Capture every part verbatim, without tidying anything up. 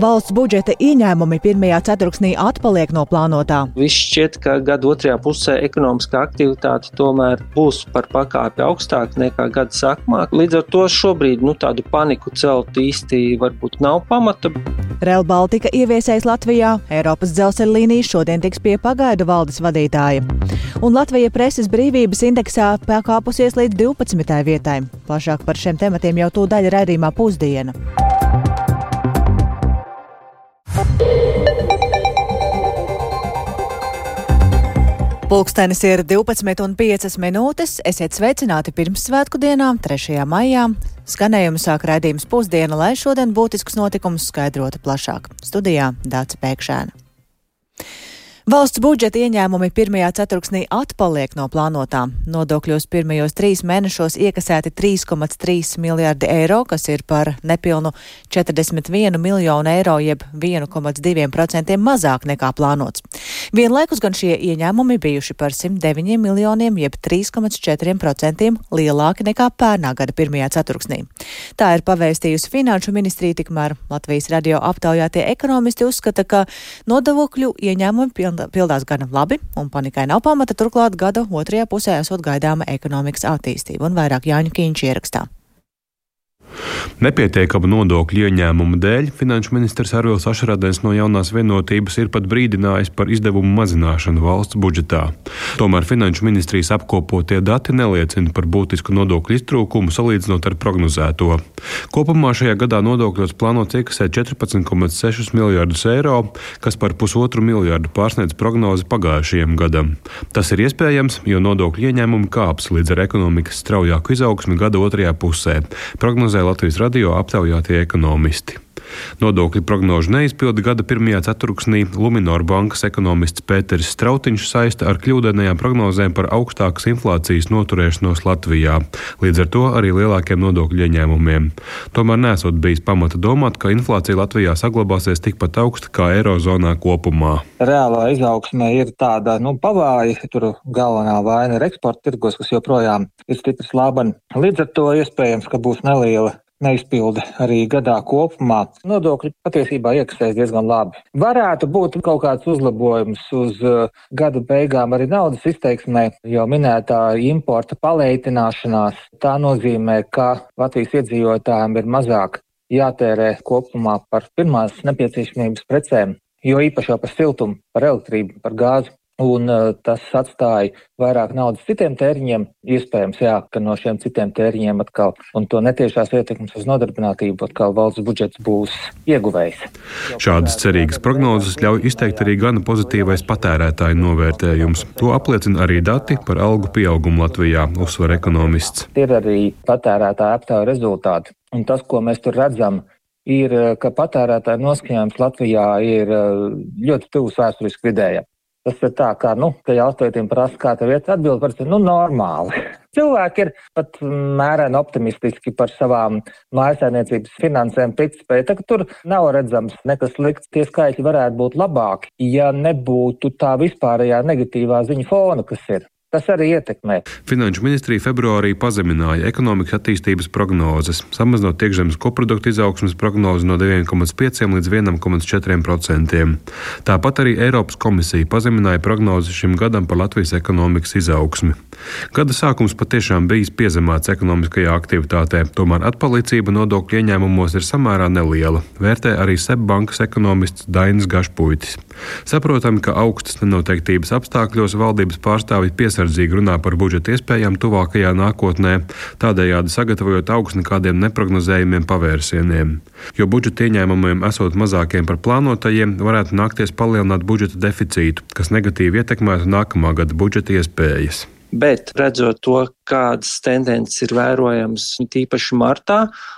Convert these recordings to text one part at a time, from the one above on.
Valsts budžeta ieņēmumi pirmajā ceturksnī atpaliek no plānotā. Viss šķiet, ka gada otrajā pusē ekonomiskā aktivitāte tomēr būs par pakāpi augstāk nekā gada sākumā. Līdz ar to šobrīd nu, tādu paniku celt īsti varbūt nav pamata. Rail Baltica ieviesējis Latvijā, Eiropas dzelzceļa līnijas šodien tiks pie pagaidu valdes vadītāja. Un Latvija preses brīvības indeksā pakāpusies līdz divpadsmitajai vietai. Plašāk par šiem tematiem jau tūdaļ raidījumā Pusdiena. Pulkstenis ir divpadsmit un piecas minūtes. Esiet sveicināti Pirmssvētku dienā, trešajā maijā. Skanējumu sāk raidījums Pusdiena, lai šodien būtiskus notikumus skaidrotu plašāk. Studijā Dāca Pēkšēna. Valsts budžeta ieņēmumi pirmajā ceturksnī atpaliek no plānotā. Nodokļos pirmajos trīs mēnešos iekasēti trīs komats trīs miljārdi eiro, kas ir par nepilnu četrdesmit vienu miljonu eiro, jeb viens komats divi procenti mazāk nekā plānots. Vienlaikus gan šie ieņēmumi bijuši par simt deviņiem miljoniem, jeb trīs komats četri procenti lielāki nekā pērnā gada pirmajā ceturksnī. Tā ir pavēstījusi Finanšu ministrija, tikmēr Latvijas radio aptaujātie ekonomisti uzskata, ka nodokļu ieņēmumi pildās gana labi, un panikai nav pamata, turklāt gada otrajā pusē esot gaidāma ekonomikas attīstība, un vairāk Jāņu Kīņš ierakstā. Nepietiekama nodokļu ieņēmuma dēļ finanšu ministrs Arvils Ašarādens no Jaunās Vienotības ir pat brīdinājis par izdevumu mazināšanu valsts budžetā. Tomēr finanšu ministrijas apkopotie dati neliecina par būtisku nodokļu iztrūkumu salīdzinot ar prognozēto. Kopumā šajā gadā nodokļos plānots iekasēt četrpadsmit komats seši miljārdus eiro, kas par pusotru miljārdu pārsniedz prognozi pagājušajam gadam. Tas ir iespējams, jo nodokļu ieņēmumi kāps līdz ar ekonomikas straujāku izaugsmi gada otrajā pusē. Prognozē Latvijas radio aptaujātie ekonomisti. Nodokļu prognožu neizpildi gada pirmajā ceturksnī Luminor bankas ekonomists Pēteris Strautiņš saista ar kļūdainajām prognozēm par augstākas inflācijas noturēšanos Latvijā, līdz ar to arī lielākiem nodokļu ieņēmumiem. Tomēr nesot bijis pamata domāt, ka inflācija Latvijā saglabāsies tikpat augsta kā Eirozonā kopumā. Reālā izaugsme ir tāda, nu, pavāja, tur galvenā vaina ir eksporta tirgos, kas joprojām ir stipri slābani. Līdz ar to iespējams, ka būs neliela neizpilde arī gadā kopumā. Nodokļi patiesībā iekasēs diezgan labi. Varētu būt kaut kāds uzlabojums uz uh, gada beigām arī naudas izteiksmē, jo minētā importa paleitināšanās. Tā nozīmē, ka Latvijas iedzīvotājiem ir mazāk jātērē kopumā par pirmās nepieciešamības precēm, jo īpaši jau par siltumu, par elektrību, par gāzi. Un uh, tas atstāja vairāk naudas citiem tēriņiem, iespējams, jā, ka no šiem citiem tēriņiem atkal, un to netiešās ietekmes uz nodarbinātību, atkal valsts budžets būs ieguvējs. Šādas cerīgas prognozes ļauj izteikt arī gana pozitīvais patērētāju novērtējums. To apliecina arī dati par algu pieaugumu Latvijā, uzsver ekonomists. Ir arī patērētāju aptauju rezultāti, un tas, ko mēs tur redzam, ir, ka patērētāju noskaņojums Latvijā ir ļoti tuvs vēsturiski vidējam. Tas ir tā, kā, nu, ka jautājumiem prasa, kā tev iet atbild, par nu, normāli. Cilvēki ir pat mēreni optimistiski par savām mājasēmniecības finansēm, ticspēju. Tā, ka tur nav redzams nekas slikts, tie skaitļi varētu būt labāki, ja nebūtu tā vispārējā negatīvā ziņa fona, kas ir. Tas arī ietekmē. Finanšu ministrija februārī pazemināja ekonomikas attīstības prognozes, samazinot iekšzemes koprodukta izaugsmes prognozi no divi komats pieci līdz viens komats četri procenti. Tāpat arī Eiropas komisija pazemināja prognozi šim gadam par Latvijas ekonomikas izaugsmi. Gada sākums patiešām bijis piezemēts ekonomiskajā aktivitātē, tomēr atpalicība nodokļu ieņēmumos ir samērā neliela, vērtē arī SEB bankas ekonomists Dainis Gašpuitis. Saprotami, ka augstas nenoteiktības apstākļos valdības pārstāvji piesardzīgi runā par budžeta iespējām tuvākajā nākotnē, tādējādi sagatavojot augstu kādiem neprognozējumiem pavērsieniem. Jo budžeta ieņēmumiem esot mazākiem par plānotajiem, varētu nākties palielināt budžeta deficītu, kas negatīvi ietekmētu nākamā gada budžeta iespējas. Bet redzot to, kādas tendences ir vērojamas tīpaši martā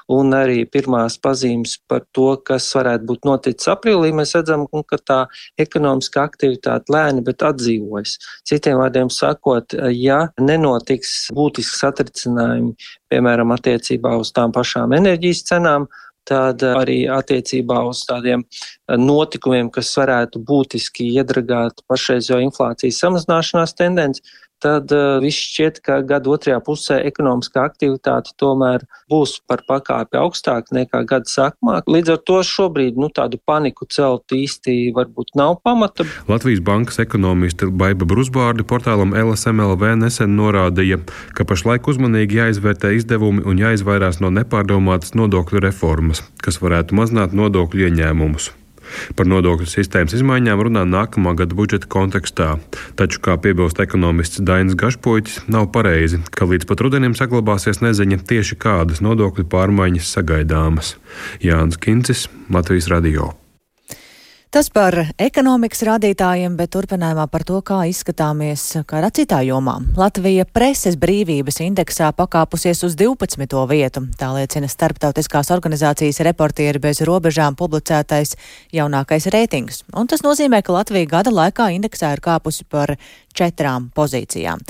un arī pirmās pazīmes par to, kas varētu būt noticis aprīlī, mēs redzam, ka tā ekonomiskā aktivitāte lēni, bet atdzīvojas. Citiem vārdiem sakot, ja nenotiks būtisks satricinājumi, piemēram, attiecībā uz tām pašām enerģijas cenām, tad arī attiecībā uz tādiem notikumiem, kas varētu būtiski iedragāt pašreizējo inflācijas samazināšanās tendenci, tad uh, viss šķiet, ka gada otrajā pusē ekonomiskā aktivitāte tomēr būs par pakāpi augstāk nekā gada sākumā. Līdz ar to šobrīd nu, tādu paniku celt īsti varbūt nav pamata. Latvijas bankas ekonomiste Baiba Brusbārdi portālam L S M L V nesen norādīja, ka pašlaik uzmanīgi jāizvērtē izdevumi un jāizvairās no nepārdomātas nodokļu reformas, kas varētu mazināt nodokļu ieņēmumus. Par nodokļu sistēmas izmaiņām runā nākamā gada budžeta kontekstā, taču, kā piebilst ekonomists Dainis Gašpuitis, nav pareizi, ka līdz pat rudenim saglabāsies neziņa tieši kādas nodokļu pārmaiņas sagaidāmas. Jānis Kincis, Latvijas radio. Tas par ekonomikas rādītājiem, bet turpinājumā par to, kā izskatāmies kādā citā jomā. Latvija preses brīvības indeksā pakāpusies uz divpadsmito vietu. Tā liecina starptautiskās organizācijas Reportieri bez robežām publicētais jaunākais reitings. Un tas nozīmē, ka Latvija gada laikā indeksā ir kāpusi par četrām pozīcijām.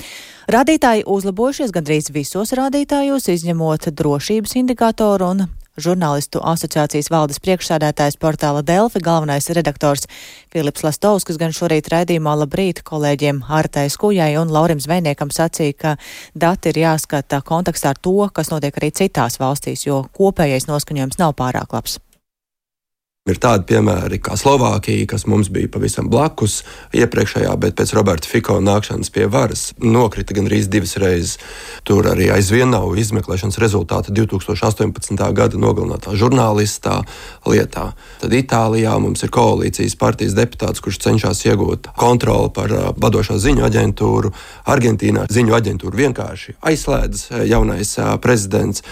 Rādītāji uzlabojušies gandrīz visos rādītājos, izņemot drošības indikātoru un Žurnālistu asociācijas valdes priekšsādātājs portāla Delfi, galvenais redaktors Filips Lastovskis gan šorīt raidījumā Labrīt kolēģiem Artai Skujai un Laurim Zvejniekam sacīja, ka dati ir jāskata kontekstā ar to, kas notiek arī citās valstīs, jo kopējais noskaņojums nav pārāk labs. Ir tādi piemēri kā Slovākija, kas mums bija pavisam blakus iepriekšējā, bet pēc Roberta Fico nākšanas pie varas nokrita gandrīz divas reizes. Tur arī aizvien nav izmeklēšanas rezultāta divi tūkstoši astoņpadsmitā gada nogalinātā žurnālistā lietā. Tad Itālijā mums ir koalīcijas partijas deputāts, kurš cenšas iegūt kontroli par vadošo ziņu aģentūru. Argentīnā ziņu aģentūru vienkārši aizslēdz jaunais prezidents.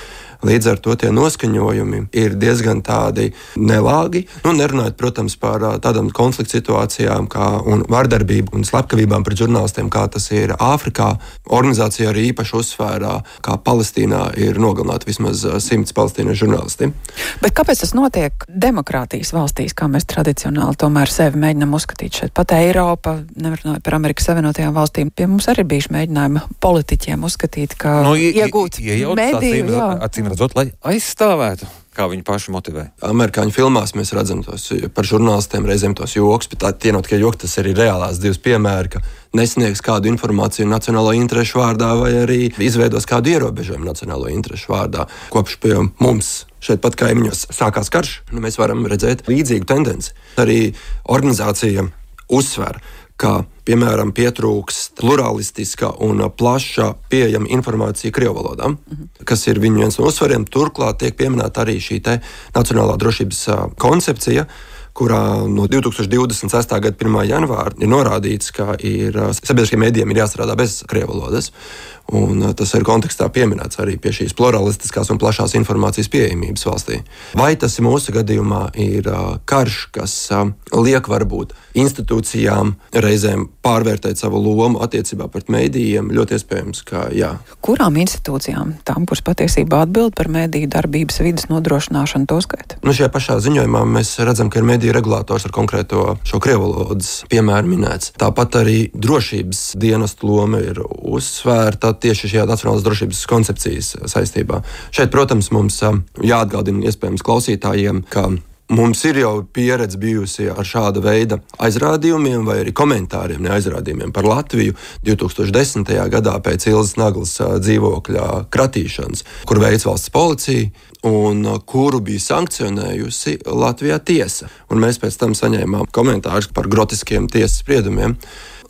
Līdz ar to tie noskaņojumi ir diezgan tādi nelāgi. Nu, nerunājot, protams, par tādām konflikta situācijām kā un vardarbību un slepkavībām pret žurnālistiem, kā tas ir Āfrikā. Organizācija arī īpaši uzsvērā, kā Palestīnā ir nogalināti vismaz simts palestīniešu žurnālisti. Bet kāpēc tas notiek demokrātijas valstīs, kā mēs tradicionāli tomēr sevi mēģinām uzskatīt šeit? Pat Eiropa, nevarunājot par Amerikas Savienotajām valstīm, pie mums arī bijuši mēģinājumi politiķiem uzskatīt, ka no, iegūt mediju, jā. Redzot, lai aizstāvētu, kā viņi paši motivē. Amerikāņu filmās mēs redzam tos par žurnālistiem reizēm tos joks, bet tā tie nav tikai joki, tas arī reālās divas piemēri, ka nesniegs kādu informāciju nacionālo interešu vārdā vai arī izveidos kādu ierobežojumu nacionālo interešu vārdā. Kopš pie mums šeit pat kaimiņos sākās karš, nu, mēs varam redzēt līdzīgu tendenci. Arī organizācija uzsver, ka, piemēram, pietrūkst pluralistiska un plaša pieejama informācija krievu valodā, mm-hmm. kas ir viņu viens no uzsvariem. Turklāt tiek pieminēta arī šī te nacionālā drošības koncepcija, kurā no divi tūkstoši divdesmit sestā gada pirmā janvāra ir norādīts, ka ir sabiedriskiem mēdījiem ir jāstrādā bez krievu valodas. Un tas ir kontekstā pieminēts arī pie šīs pluralistiskās un plašās informācijas pieejamības valstī. Vai tas mūsu gadījumā ir karš, kas liek varbūt institūcijām reizēm pārvērtēt savu lomu attiecībā pret mēdījiem? Ļoti iespējams, ka jā. Kurām institūcijām? Tām, kuras patiesībā atbild par mēdīju darbības vidas nodrošināšanu, to skaita? Nu, šajā pašā ziņojumā mēs redzam, ka ir mēdīju regulators ar konkrēto šo krievu valodas piemēru minēts. Tāpat arī drošības dienestu loma ir uzsvērta tieši šajā nacionālās drošības koncepcijas saistībā. Šeit, protams, mums jāatgādina iespējams klausītājiem, ka mums ir jau pieredze bijusi ar šāda veida aizrādījumiem vai arī komentāriem, ne aizrādījumiem par Latviju divi tūkstoši desmitajā gadā pēc Ilzas Naglas dzīvokļa kratīšanas, kur veic valsts policija un kuru bija sankcionējusi Latvijā tiesa. Un mēs pēc tam saņēmām komentārus par grotiskiem tiesas spriedumiem.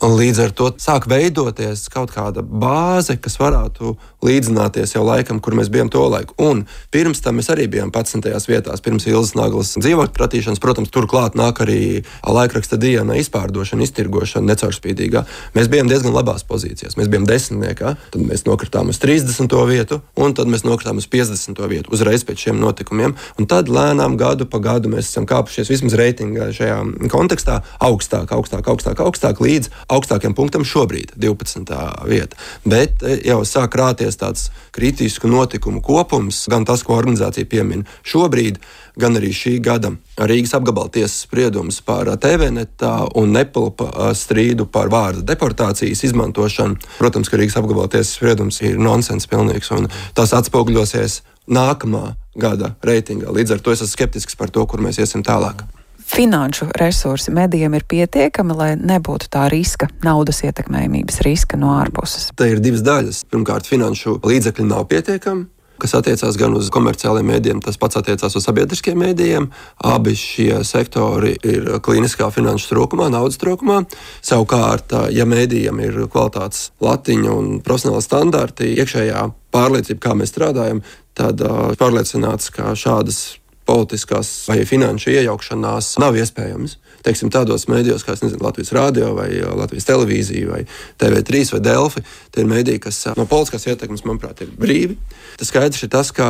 Līdz ar to sāk veidoties kaut kāda bāze, kas varētu līdzināties jau laikam, kur mēs bijām to laiku. Un pirms tam mēs arī bijām padsmitajās vietās, pirms Ilzas Naglas dzīvokļa kratīšanas. Protams, turklāt nāk arī laikraksta diena izpārdošana, iztirgošana necaurspīdīgā. Mēs bijām diezgan labās pozīcijās. Mēs bijām desmitniekā, tad mēs nokritām uz trīsdesmito vietu, un tad mēs nokritām uz piecdesmito vietu uzreiz pēc šiem notikumiem. Un tad lēnām gadu pa gadu mēs esam kāpušies vismaz reitingā šajā kontekstā augstāk, augstāk, augstāk, augstāk līdz augstākiem punktam šobrīd, divpadsmitā vieta. Bet jau sāk rāties tāds kritisku notikumu kopums, gan tas, ko organizācija piemin šobrīd, gan arī šī gada Rīgas apgabala tiesas spriedums par T V netā un Nepilpa strīdu par vārda deportācijas izmantošanu. Protams, ka Rīgas apgabala tiesas spriedums ir nonsens pilnīgs, un tas atspoguļosies nākamā gada reitingā. Līdz ar to es esmu skeptisks par to, kur mēs iesim tālāk. finanšu resursi medijiem ir pietiekami, lai nebūtu tā riska, naudas ietekmējumības riska no ārpuses? Te ir divas daļas. Pirmkārt, finanšu līdzekļi nav pietiekami, kas attiecās gan uz komerciāliem mēdījiem, tas pats attiecās uz sabiedriskiem mēdījiem. Abi šie sektori ir klīniskā finanšu trūkumā, naudas trūkumā. Savukārt, ja mēdījiem ir kvalitātes latiņa un profesionāli standarti, iekšējā pārliecība, kā mēs strādājam, tad pārliecināts, ka šādas politiskās vai finanšu iejaukšanās nav iespējams. Teiksim, tādos mēdījos, kā es nezinu, Latvijas Rādio vai Latvijas Televīzija vai T V trīs vai Delfi, tie ir mēdīji, kas no politiskās ietekmes, manuprāt, ir brīvi. Tas skaidrs ir tas, ka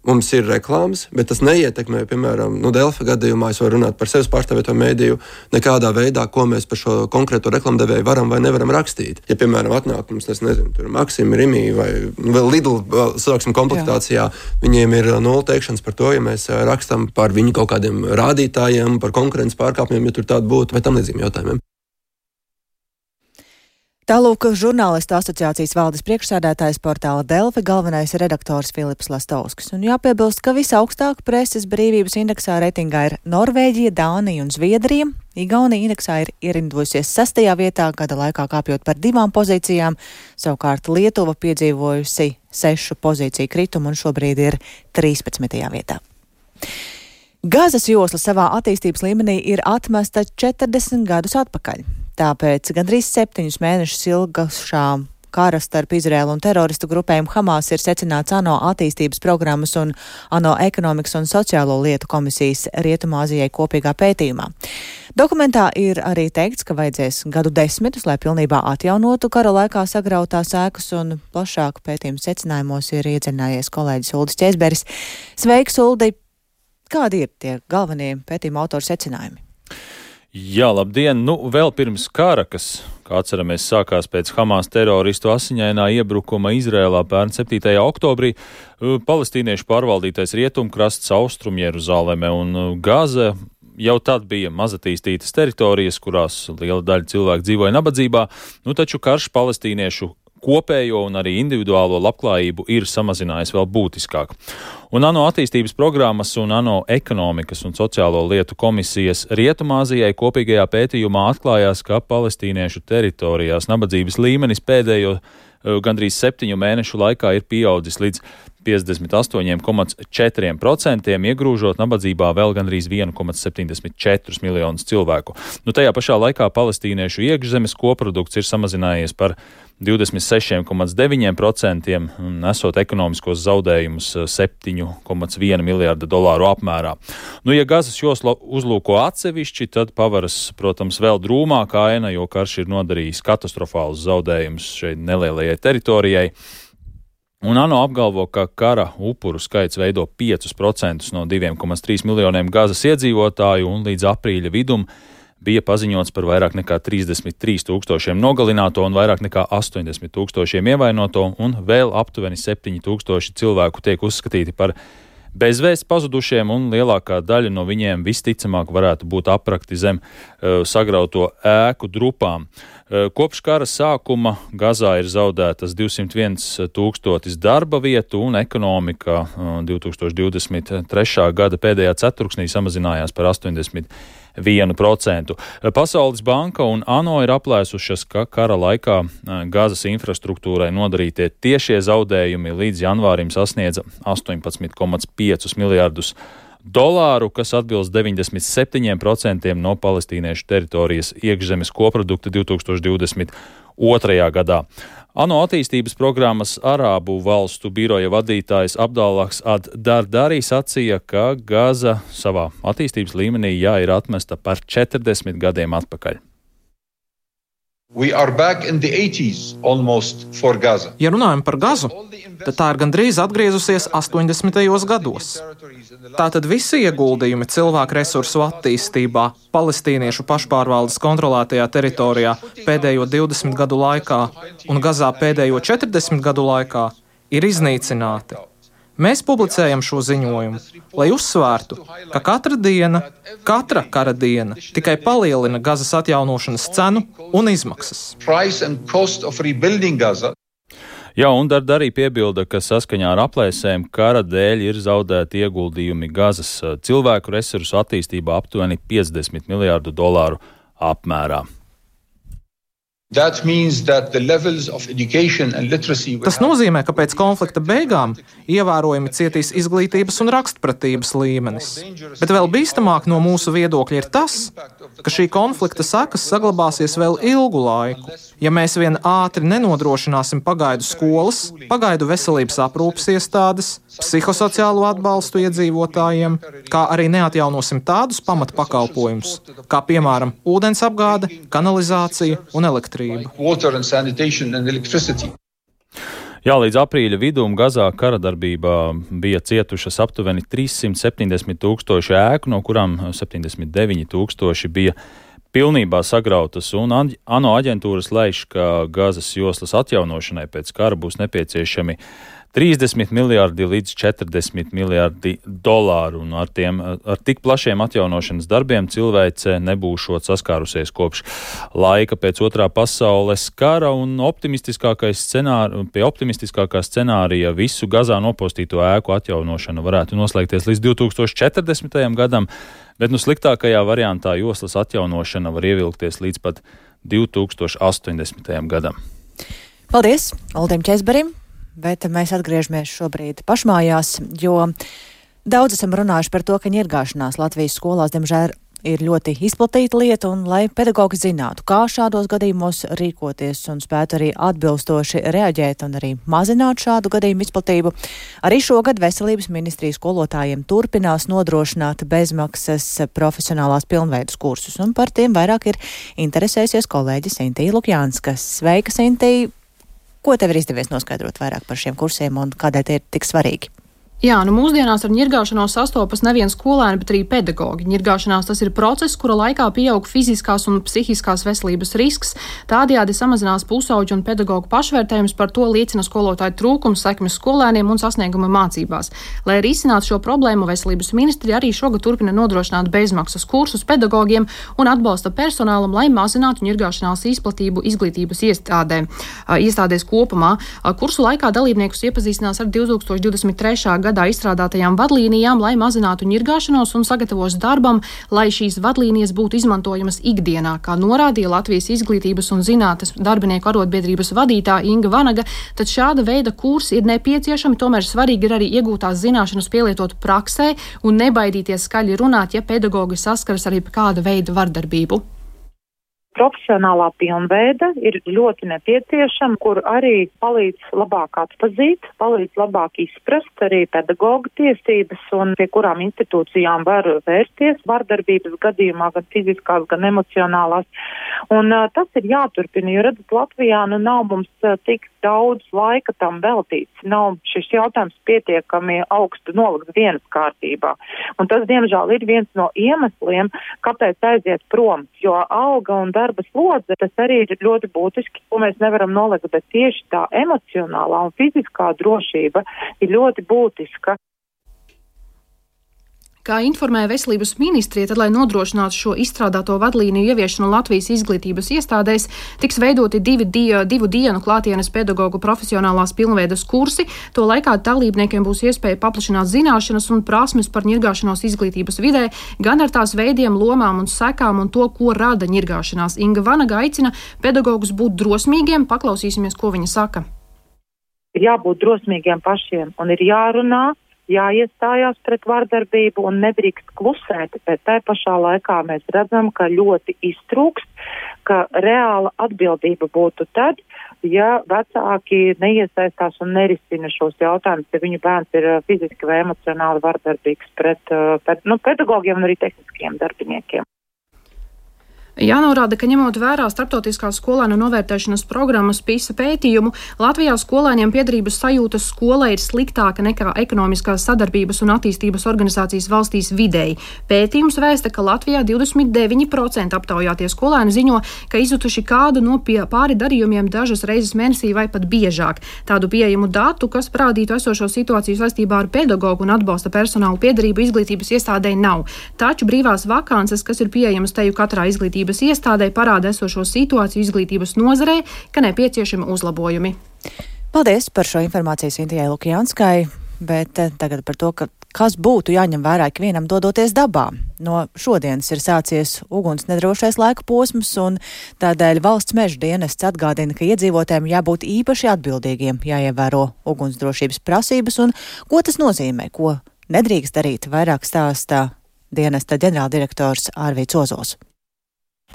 mums ir reklāmas, bet tas neietekmē, piemēram, no Delfi gadījumā, es varu runāt par sevis pārstāvēto mēdīju, nekādā veidā, ko mēs par šo konkrēto reklamdevēju varam vai nevaram rakstīt. Ja, piemēram, atnāk mums, es nezinu, tur Maksim, Rimī vai vēl Lidl, sāksim komplektācijā, Jā. Viņiem ir nulle teikšanas par to, ja mēs rakstam par viņu kaut kādiem rādītājiem, par konkurences pārkāpumiem, ja tur tāda būtu, vai tam līdzīgiem jautājumiem. Tālūk, žurnālistu asociācijas valdes priekšsēdētājs portāla Delfi, galvenais redaktors Filips Lastovskis. Un jāpiebilst, ka visaugstāk preses brīvības indeksā reitingā ir Norvēģija, Dānija un Zviedrija. Igaunija indeksā ir ierindojusies sastajā vietā, gada laikā kāpjot par divām pozīcijām. Savukārt Lietuva piedzīvojusi sešu pozīciju kritumu un šobrīd ir trīspadsmitajā vietā. Gazas josla savā attīstības līmenī ir atmesta četrdesmit gadus atpakaļ. Tāpēc gandrīz septiņus mēnešus ilgšā kara starp Izraēlu un teroristu grupējumu Hamas ir secināts ANO attīstības programmas un ANO ekonomikas un sociālo lietu komisijas Rietumāzijai kopīgā pētījumā. Dokumentā ir arī teikts, ka vajadzēs gadu desmitus, lai pilnībā atjaunotu kara laikā sagrautās ēkas, un plašāk pētījumu secinājumos ir iedziļinājies kolēģis Uldis Ķēzberis. Sveiks, Uldi! Kādi ir tie galvenie pētījuma autoru secinājumi? Jā, labdien! Nu, vēl pirms kara, kas, kā atceramies, sākās pēc Hamas teroristu asiņainā iebrukuma Izrēlā pērn septītajā oktobrī, palestīniešu pārvaldītais rietumkrasts, Austrum Jeruzaleme un Gaza jau tad bija mazatīstītas teritorijas, kurās liela daļa cilvēku dzīvoja nabadzībā, nu taču karš palestīniešu kopējo un arī individuālo labklājību ir samazinājis vēl būtiskāk. Un ANO attīstības programmas un ANO ekonomikas un sociālo lietu komisijas Rietumāzijai kopīgajā pētījumā atklājās, ka palestīniešu teritorijās nabadzības līmenis pēdējo gandrīz septiņu mēnešu laikā ir pieaudzis līdz piecdesmit astoņi komats četri procenti, iegrūžot nabadzībā vēl gandrīz viens komats septiņdesmit četri miljonus cilvēku. Nu, tajā pašā laikā palestīniešu iekšzemes koprodukts ir samazinājies par divdesmit seši komats deviņi procenti, nesot ekonomiskos zaudējumus septiņi komats viens miljārda dolāru apmērā. Nu, ja Gazas josla uzlūko atsevišķi, tad pavaras, protams, vēl drūmākā aina, jo karš ir nodarījis katastrofālus zaudējumus šeit nelielajai teritorijai. Un ANO apgalvo, ka kara upuru skaits veido pieci procenti no diviem komats trīs miljoniem Gazas iedzīvotāju, un līdz aprīļa vidum bija paziņots par vairāk nekā trīsdesmit trīs tūkstošiem nogalināto un vairāk nekā astoņdesmit tūkstošiem ievainoto, un vēl aptuveni septiņi tūkstoši cilvēku tiek uzskatīti par bezvēsts pazudušiem, un lielākā daļa no viņiem visticamāk varētu būt aprakti zem uh, sagrauto ēku drupām. Uh, kopš kara sākuma Gazā ir zaudētas divsimt viens tūkstotis darba vietu, un ekonomika uh, divi tūkstoši divdesmit trešā gada pēdējā ceturksnī samazinājās par astoņdesmit vienu procentu. Pasaules banka un ANO ir aplēsušas, ka kara laikā Gazas infrastruktūrai nodarītie tiešie zaudējumi līdz janvārim sasniedza astoņpadsmit komats pieci miljārdus dolāru, kas atbilst deviņdesmit septiņiem procentiem no palestīniešu teritorijas iekšzemes koprodukta divi tūkstoši divdesmit otrajā gadā. ANO attīstības programmas Arābu valstu biroja vadītājs Abdallahs ad-Dardari sacīja, ka Gaza savā attīstības līmenī jā ir atmesta par četrdesmit gadiem atpakaļ. Ja runājam par Gazu, tad tā ir gandrīz atgriezusies astoņdesmitajos gados. Tātad visi ieguldījumi cilvēku resursu attīstībā palestīniešu pašpārvaldes kontrolētajā teritorijā pēdējo divdesmit gadu laikā un Gazā pēdējo četrdesmit gadu laikā ir iznīcināti. Mēs publicējam šo ziņojumu, lai uzsvērtu, ka katra diena, katra kara diena tikai palielina Gazas atjaunošanas cenu un izmaksas. Jā, un Darda arī piebilda, ka saskaņā ar aplēsēm kara dēļ ir zaudēti ieguldījumi Gazas cilvēku resursu attīstībā aptuveni piecdesmit miljārdu dolāru apmērā. Tas nozīmē, ka pēc konflikta beigām ievērojami cietīs izglītības un rakstpratības līmenis. Bet vēl bīstamāk no mūsu viedokļa ir tas, ka šī konflikta sekas saglabāsies vēl ilgu laiku. Ja mēs vien ātri nenodrošināsim pagaidu skolas, pagaidu veselības aprūpes iestādes, psihosociālo atbalstu iedzīvotājiem, kā arī neatjaunosim tādus pamatpakalpojumus, kā piemēram ūdens apgāde, kanalizācija un elektrība. Jā, līdz aprīļa vidum Gazā kara darbībā bija cietušas aptuveni trīssimt septiņdesmit tūkstoši ēku, no kurām septiņdesmit deviņi tūkstoši bija pilnībā sagrautas, un ANO aģentūras lēš, ka Gazas joslas atjaunošanai pēc kara būs nepieciešami trīsdesmit miljārdi līdz četrdesmit miljārdi dolāru, un ar, tiem, ar tik plašiem atjaunošanas darbiem cilvēce nebūšot saskārusies kopš laika pēc otrā pasaules kara, un optimistiskākais scenāri, pie optimistiskākā scenārija visu Gazā nopostīto ēku atjaunošana varētu noslēgties līdz divtūkstoši četrdesmitajam gadam, bet nu sliktākajā variantā joslas atjaunošana var ievilkties līdz pat divtūkstoši astoņdesmitajam gadam. Paldies Uldim Česberim! Bet mēs atgriežamies šobrīd pašmājās, jo daudz esam runājuši par to, ka ņirgāšanās Latvijas skolās, diemžēl, ir ļoti izplatīta lieta, un lai pedagogi zinātu, kā šādos gadījumos rīkoties un spētu arī atbilstoši reaģēt un arī mazināt šādu gadījumu izplatību, arī šogad Veselības ministrija skolotājiem turpinās nodrošināt bezmaksas profesionālās pilnveidas kursus, un par tiem vairāk ir interesējusies kolēģi Sintija Lukjānska. Sveika, Sintija! Ko tev ir izdevies noskaidrot vairāk par šiem kursiem un kādēļ tie ir tik svarīgi? Jā, nu mūsdienās ar ņirgāšanos sastopas nevien skolēni, bet arī pedagogi. Ņirgāšanās tas ir process, kura laikā pieaug fiziskās un psihiskās veselības risks. Tādējādi samazinās pusauģu un pedagogu pašvērtējums, par to liecina skolotāju trūkums, sekmes skolēniem un sasnieguma mācībās. Lai risinātu šo problēmu, Veselības ministrija arī šogad turpina nodrošināt bezmaksas kursus pedagogiem un atbalsta personālam, lai mazinātu ņirgāšanās izplatību izglītības iestādē, iestādēs kopumā. Kursu laikā dalībniekus iepazīstinās ar divtūkstoši divdesmit trešā gadā izstrādātajām vadlīnijām, lai mazinātu ņirgāšanos un sagatavos darbam, lai šīs vadlīnijas būtu izmantojamas ikdienā, kā norādīja Latvijas izglītības un zinātnes darbinieku arotbiedrības vadītāja Inga Vanaga, tad šāda veida kursi ir nepieciešami, tomēr svarīgi ir arī iegūtās zināšanas pielietot praksē un nebaidīties skaļi runāt, ja pedagogi saskaras arī kāda veida vardarbību. Profesionālā pilnveida ir ļoti nepieciešama, kur arī palīdz labāk atpazīt, palīdz labāk izprast arī pedagoga tiesības un pie kurām institūcijām var vērsties vardarbības gadījumā, gan fiziskās, gan emocionālās. Un uh, tas ir jāturpina, jo redzat, Latvijā nu nav mums uh, tik daudz laika tam veltīts. Nav šis jautājums pietiekami augstu nolikts dienas kārtībā. Un tas, diemžēl, ir viens no iemesliem, kāpēc aiziet prom, jo alga un darba slodze, tas arī ir ļoti būtiski, ko mēs nevaram nolikt, bet tieši tā emocionālā un fiziskā drošība ir ļoti būtiska. Kā informēja Veselības ministrija, tad, lai nodrošinātu šo izstrādāto vadlīniju ieviešanu Latvijas izglītības iestādēs, tiks veidoti divi die, divu dienu klātienes pedagogu profesionālās pilnveidas kursi. To laikā dalībniekiem būs iespēja paplašināt zināšanas un prasmes par ņirgāšanos izglītības vidē, gan ar tās veidiem, lomām un sekām un to, ko rada ņirgāšanās. Inga Vanaga aicina pedagogus būt drosmīgiem, paklausīsimies, ko viņa saka. Ir jābūt drosmīgiem pašiem un ir jārunā, jāiestājās pret vardarbību un nedrīkst klusēt, bet tai pašā laikā mēs redzam, ka ļoti iztrūkst, ka reāla atbildība būtu tad, ja vecāki neiesaistās un nerisina šos jautājumus, ja viņu bērns ir fiziski vai emocionāli vardarbīgs pret, pret nu, pedagogiem un arī tehniskiem darbiniekiem. Jānorāda, ka ņemot vērā starptautiskās skolēnu novērtēšanas programmas PISA pētījumu, Latvijā skolēniem piederības sajūtas skolai ir sliktāka nekā ekonomiskās sadarbības un attīstības organizācijas valstīs vidēji. Pētījums vēsta, ka Latvijā divdesmit deviņi procenti aptaujātie skolēni ziņo, ka izjutuši kādu no pāri darījumiem dažas reizes mēnesī vai pat biežāk. Tādu pieejamu datu, kas parādītu esošo situāciju saistībā ar pedagogu un atbalsta personālu piederību izglītības iestādē nav. Taču brīvās vakances, kas ir pieejamas teju katrā izglītības iestādē, parāda esošo situāciju izglītības nozarē, ka nepieciešami uzlabojumi. Paldies par šo informāciju Sintijai Lukjanskai, bet tagad par to, ka kas būtu jāņem vērā ikvienam dodoties dabā. No šodienas ir sācies uguns nedrošais laika posms, un tādēļ valsts meža dienests atgādina, ka iedzīvotājiem jābūt īpaši atbildīgiem, jāievēro ugunsdrošības prasības, un ko tas nozīmē, ko nedrīkst darīt, vairāk stāstā dienesta ģenerāldirektors Ārvīts Ozols.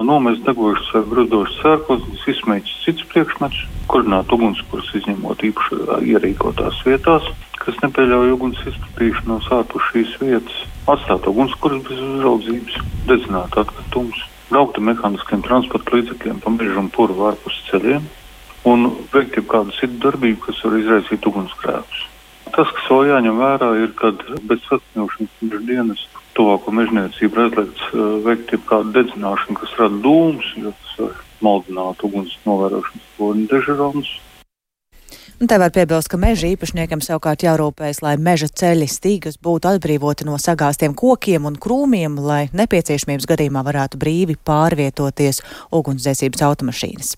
Nomest degošas vai bruzdošas sērkostas, izsmēķis cits priekšmets, kurināt ugunskurus izņemot īpaši ierīkotās vietās, kas nepieļauj uguns izplatīšanos ārpus šīs vietas, atstāt ugunskurus bez uzraudzības, dedzināt atkritumus, braukt ar mehāniskiem transporta līdzekļiem pa mežu un purvu ārpus ceļiem un veikt jau kādu citu darbību, kas var izraisīt ugunsgrēkus. Tas, kas vēl jāņem vērā, ir, kad bez saskaņošanas meža dienas tuvāko mežniecību aizliegts uh, veikt jau kādu dedzināšanu, kas rada dūmus, jo tas var maldināt uguns novērošanas poļu dežurons. Un te var piebilst, ka meža īpašniekam savukārt jārūpējas, lai meža ceļi stīgas būtu atbrīvoti no sagāstiem kokiem un krūmiem, lai nepieciešamības gadījumā varētu brīvi pārvietoties ugunsdzēsības automašīnas.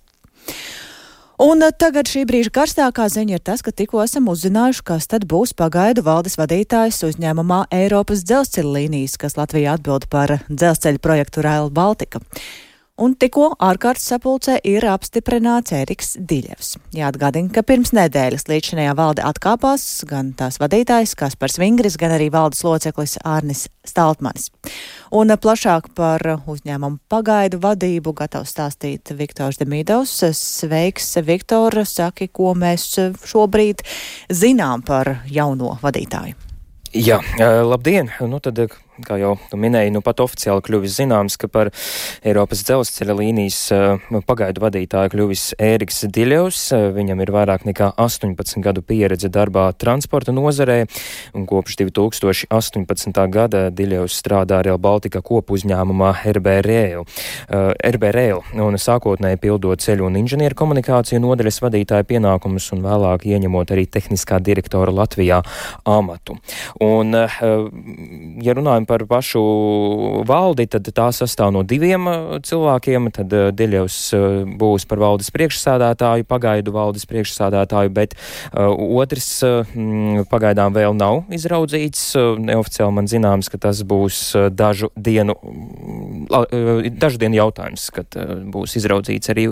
Un tagad šī brīža karstākā ziņa ir tas, ka tikko esam uzzinājuši, kas tad būs pagaidu valdes vadītājs uzņēmumā Eiropas dzelzceļa līnijas, kas Latvijā atbild par dzelzceļa projektu Rail Baltica. Un tikko ārkārtas sapulcē ir apstiprināts Ēriks Diļevs. Jāatgādina, ka pirms nedēļas līdzinājā valde atkāpās gan tās vadītājs Kaspars Vingris, gan arī valdes loceklis Ārnis Staltmanis. Un plašāk par uzņēmumu pagaidu vadību gatavs stāstīt Viktors Demidovs. Sveiks, Viktor, saki, ko mēs šobrīd zinām par jauno vadītāju. Jā, labdien! Nu tad, kā jau tu minēji, nu pat oficiāli kļuvis zināms, ka par Eiropas dzelzceļa līnijas pagaidu vadītāju kļuvis Ēriks Diļevs. Viņam ir vairāk nekā astoņpadsmit gadu pieredze darbā transporta nozarē, un kopš divi tūkstoši astoņpadsmitā gada Diļevs strādā Rail Baltica kopu uzņēmumā R B Rail, R B Rail, un sākotnēji pildot ceļu un inženieru komunikāciju nodaļas vadītāja pienākumus un vēlāk ieņemot arī tehniskā direktora Latvijā amatu. Un, ja runājam par pašu valdi, tad tā sastāv no diviem cilvēkiem, tad Diļevs būs par valdes priekšsādātāju, pagaidu valdes priekšsādātāju, bet uh, otrs uh, pagaidām vēl nav izraudzīts. Neoficiāli man zināms, ka tas būs dažu dienu, uh, dažu dienu jautājums, kad uh, būs izraudzīts arī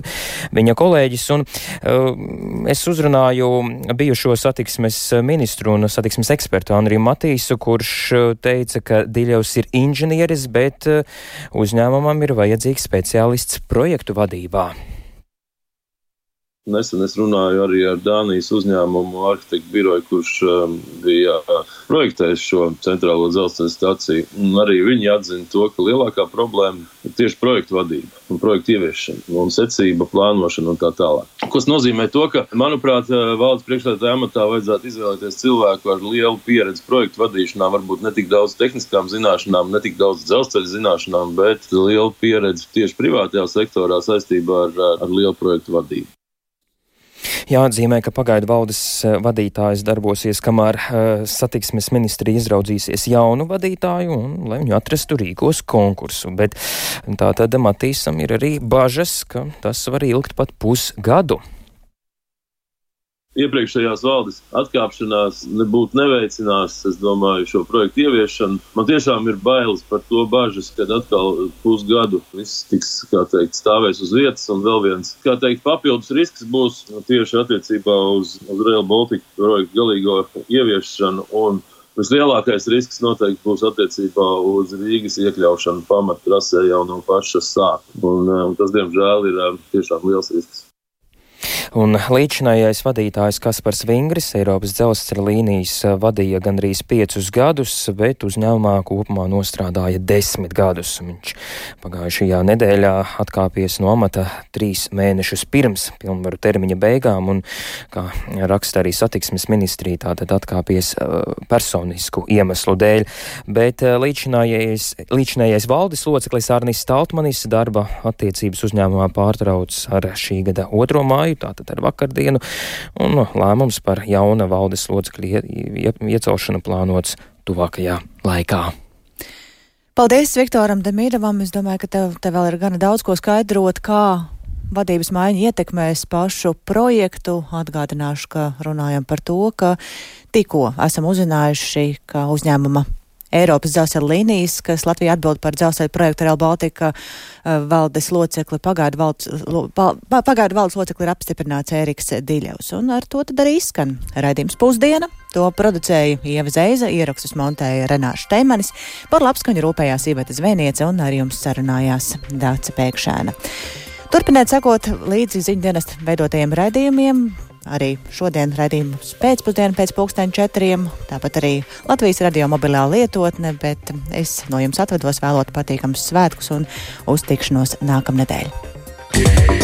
viņa kolēģis. Un uh, es uzrunāju bijušo satiksmes ministru un satiksmes ekspertu Andriju Matīsu, kurš teica, ka Diļevs ir inženieris, bet uzņēmumam ir vajadzīgs speciālists projektu vadībā. Nesen es runāju arī ar Dānijas uzņēmumu arhitektu biroju, kurš um, bija projektējis šo centrālo dzelzceļa staciju. Un arī viņi atzina to, ka lielākā problēma ir tieši projektu vadība un projektu ieviešana un secība, plānošana un tā tālāk. Kas nozīmē to, ka, manuprāt, valdes priekšsēdētāja amatā vajadzētu izvēlēties cilvēku ar lielu pieredzi projektu vadīšanā, varbūt ne tik daudz tehniskām zināšanām, ne tik daudz dzelzceļa zināšanām, bet lielu pieredzi tieši privātajā sektorā saistībā ar, ar lielu projektu vadību. Jāatzīmē, ka pagaidu valdes vadītājs darbosies, kamēr uh, satiksmes ministrija izraudzīsies jaunu vadītāju un, lai viņu atrastu, rīkos konkursu. Bet tā tad Matīsam ir arī bažas, ka tas var ilgt pat pusgadu. Iepriekšējās valdes atkāpšanās nebūtu neveicinās, es domāju, šo projektu ieviešanu. Man tiešām ir bailes par to bažas, kad atkal pusgadu viss tiks, kā teikt, stāvēs uz vietas, un vēl viens, kā teikt, papildus risks būs tieši attiecībā uz, uz Rail Baltica projektu galīgo ieviešanu, un vislielākais risks noteikti būs attiecībā uz Rīgas iekļaušanu pamattrasē jau no paša sākuma, un, un tas, diemžēl, ir tiešām liels risks. Un līdzinājais vadītājs Kaspars Vingris Eiropas dzelzceļa līnijas vadīja gandrīz piecus gadus, bet uzņēmumā kopumā nostrādāja desmit gadus. Viņš pagājušajā nedēļā atkāpies no amata trīs mēnešus pirms pilnvaru termiņa beigām, un, kā raksta arī satiksmes ministrija, tātad atkāpies personisku iemeslu dēļ. Bet līdzinājais valdes loceklis Ārnis Staltmanis darba attiecības uzņēmumā pārtrauc ar šī gada otro māju, tātad ar vakardienu, un lēmums par jauna valdes locekļu iecelšanu plānots tuvākajā laikā. Paldies Viktoram Demidovam. Es domāju, ka tev, tev vēl ir gana daudz ko skaidrot, kā vadības maiņa ietekmēs pašu projektu? Atgādināšu, ka runājam par to, ka tikko esam uzzinājuši, ka uzņēmuma Eiropas dzelzceļa līnijas, kas Latvijā atbild par dzelzceļa projektu Rail Baltica valdes locekli, pagaidu valdes, pagaidu valdes locekli ir apstiprināts Ēriks Diļevs. Un ar to tad arī izskan raidījums Pusdiena. To producēja Ieva Zeiza, ierakstus montēja Renāša Teimanis, par labskaņu rūpējās Iveta Zvēniece un ar jums sarunājās Dāca Pēkšēna. Turpiniet sekot līdzi ziņdienesta veidotajiem raidījumiem. Arī šodien raidījums pēcpusdienu pēc pulksteņa četriem, tāpat arī Latvijas radio mobilā lietotne, bet es no jums atvedos vēlot patīkams svētkus un uz tikšanos nākamnedēļ.